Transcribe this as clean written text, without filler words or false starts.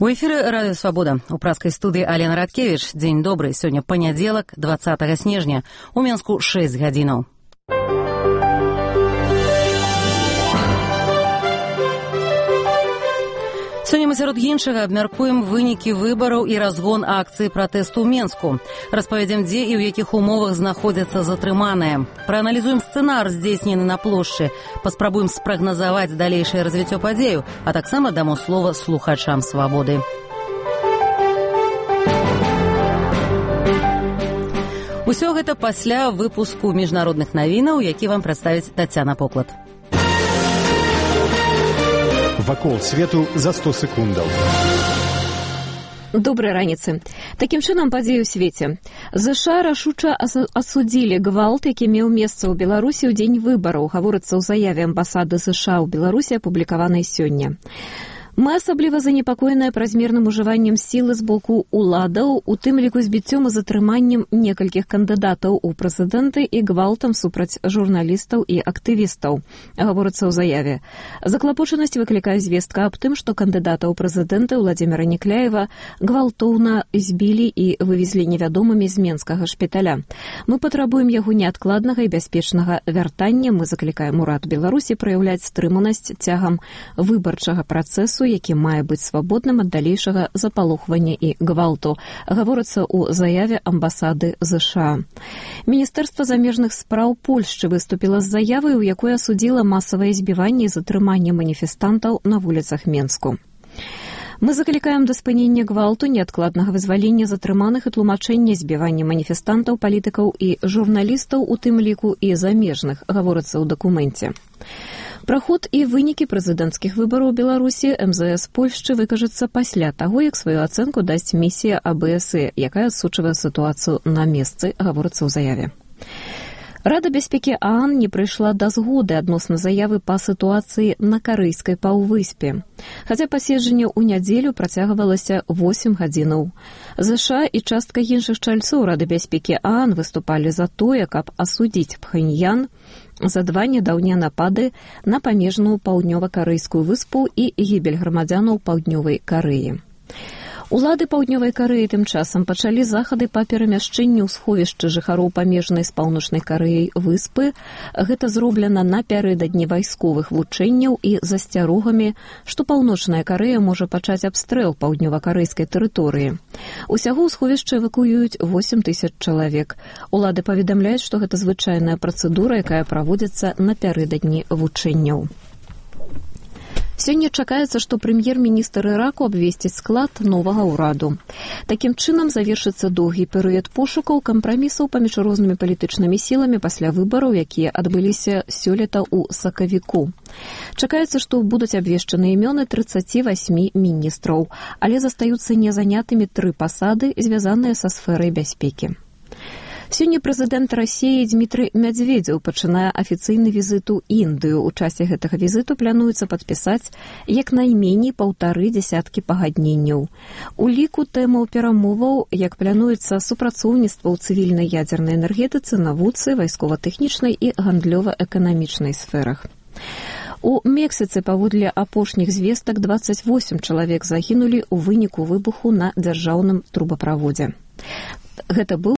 У эфіры радыё «Свабода». У праскай студыі Алена Радкевіч. Дзень добры. Сёння панядзелак, 20 снежня. У Менску 6 гадзінаў. Сёння мы сярод іншага абмяркуем вынікі выбараў і разгон акцыі пратэсту ў Менску. Распавядзем, дзе і ў якіх умовах знаходзяцца затрыманыя. Прааналізуем сцэнар, здзейснены на плошчы. Паспрабуем спрагназаваць далейшае развіццё падзею, а таксама дамо слова слухачам «Свабоды». Усё гэта пасля выпуску міжнародных навінаў, які вам прадставіць Тацяна Поклад. Вакол свету за 100 секундаў. Добрай раніцы. Такім чынам падзеі ў свеце. ЗША рашуча асудзілі гвалт, які меў месца ў Беларусі ў дзень выбараў, гаворыцца ў заяве амбасады ЗША ў Беларусі, апублікаванай сёння. Мы асабліва занепакоеныя празмерным ужываннем сілы з боку уладаў, у тым ліку збіццём і затрыманнем некалькіх кандыдатаў у прэзідэнты і гвалтам супраць журналістаў і актывістаў, гаворыцца ў заяве. Заклапочанасць выклікае звестка аб тым, што кандыдата ў прэзідэнты Владзіміра Некляева гвалтоўна збілі і вывезлі невядомымі з менскага шпіталя. Мы патрабуем яго неадкладнага і бяспечнага вяртання. Мы заклікаем урад Беларусі праяўляць стрыманасць цягам выбарчага працэсу, які мае быць свабодным ад далейшага запалохвання і гвалту, гаворыцца ў заяве амбасады ЗША. Міністэрства замежных спраў Польшчы выступіла з заявай, у якой асудзіла масавае збіванне і затрыманне маніфестантаў на вуліцах Менску. Мы заклікаем да спынення гвалту, неадкладнага вызвалення затрыманых і тлумачэння збівання маніфестантаў, палітыкаў і журналістаў, у тым ліку і замежных, гаворыцца ў дакуменце. Пра ход і вынікі прэзідэнцкіх выбараў у Беларусі МЗС Польшчы выкажацца пасля таго, як сваю ацэнку дасць місія АБСЕ, якая адсочвае сітуацыю на месцы, гаворыцца ў заяве. Рада бяспекі ААН не прыйшла да згоды адносна заявы па сітуацыі на карэйскай паўвыспе. Хаця паседжанне ў нядзелю працягвалася 8 гадзінаў. ЗША і частка іншых чальцоў Рады бяспекі ААН выступалі за тое, каб асудзіць Пхэньян за 2 нядаўнія напады на памежную паўднёва-карэйскую выспу і гібель грамадзянаў Паўднёвай Карэі. Улады Паўднёвай Карэі тым часам пачалі захады па перамяшчэнню ў сховішчы жыхароў памежнай з Паўночнай Карэяй выспы. Гэта зроблена напярэдадні вайсковых вучэнняў і засцярогамі, што Паўночная Карэя можа пачаць абстрэл паўднёва-карэйскай тэрыторыі. Усяго ў сховішча эвакуююць 8 000 чалавек. Улады паведамляюць, што гэта звычайная працэдура, якая праводзіцца напярэдадні вучэнняў. Сёння чакаецца, што прэм'ер-міністр Іраку абвесціць склад новага ўраду. Такім чынам завершыцца доўгі перыяд пошукаў кампрамісаў паміж рознымі палітычнымі сіламі пасля выбараў, якія адбыліся сёлета ў сакавіку. Чакаецца, што будуць абвешчаны імёны 38 міністраў, але застаюцца незанятымі 3 пасады, звязаныя са сферай бяспекі. Сёння прэзідэнт Расіі Дмітрый Мядзведзеў пачынае афіцыйны візіт у Індыю. У часе гэтага візіту плануецца падпісаць як найменей 1,5 дзясяткі пагадненняў. У ліку тэмаў перамоваў, як плануецца супрацоўніцтва ў цывільнай ядзернай энергетыцы, навуцы, вайскова-тэхнічнай і гандлёва-эканамічнай сферах. У Мексіцы паводле апошніх звестак 28 чалавек загінулі ў выніку выбуху на дзяржаўным трубаправодзе. Гэта быў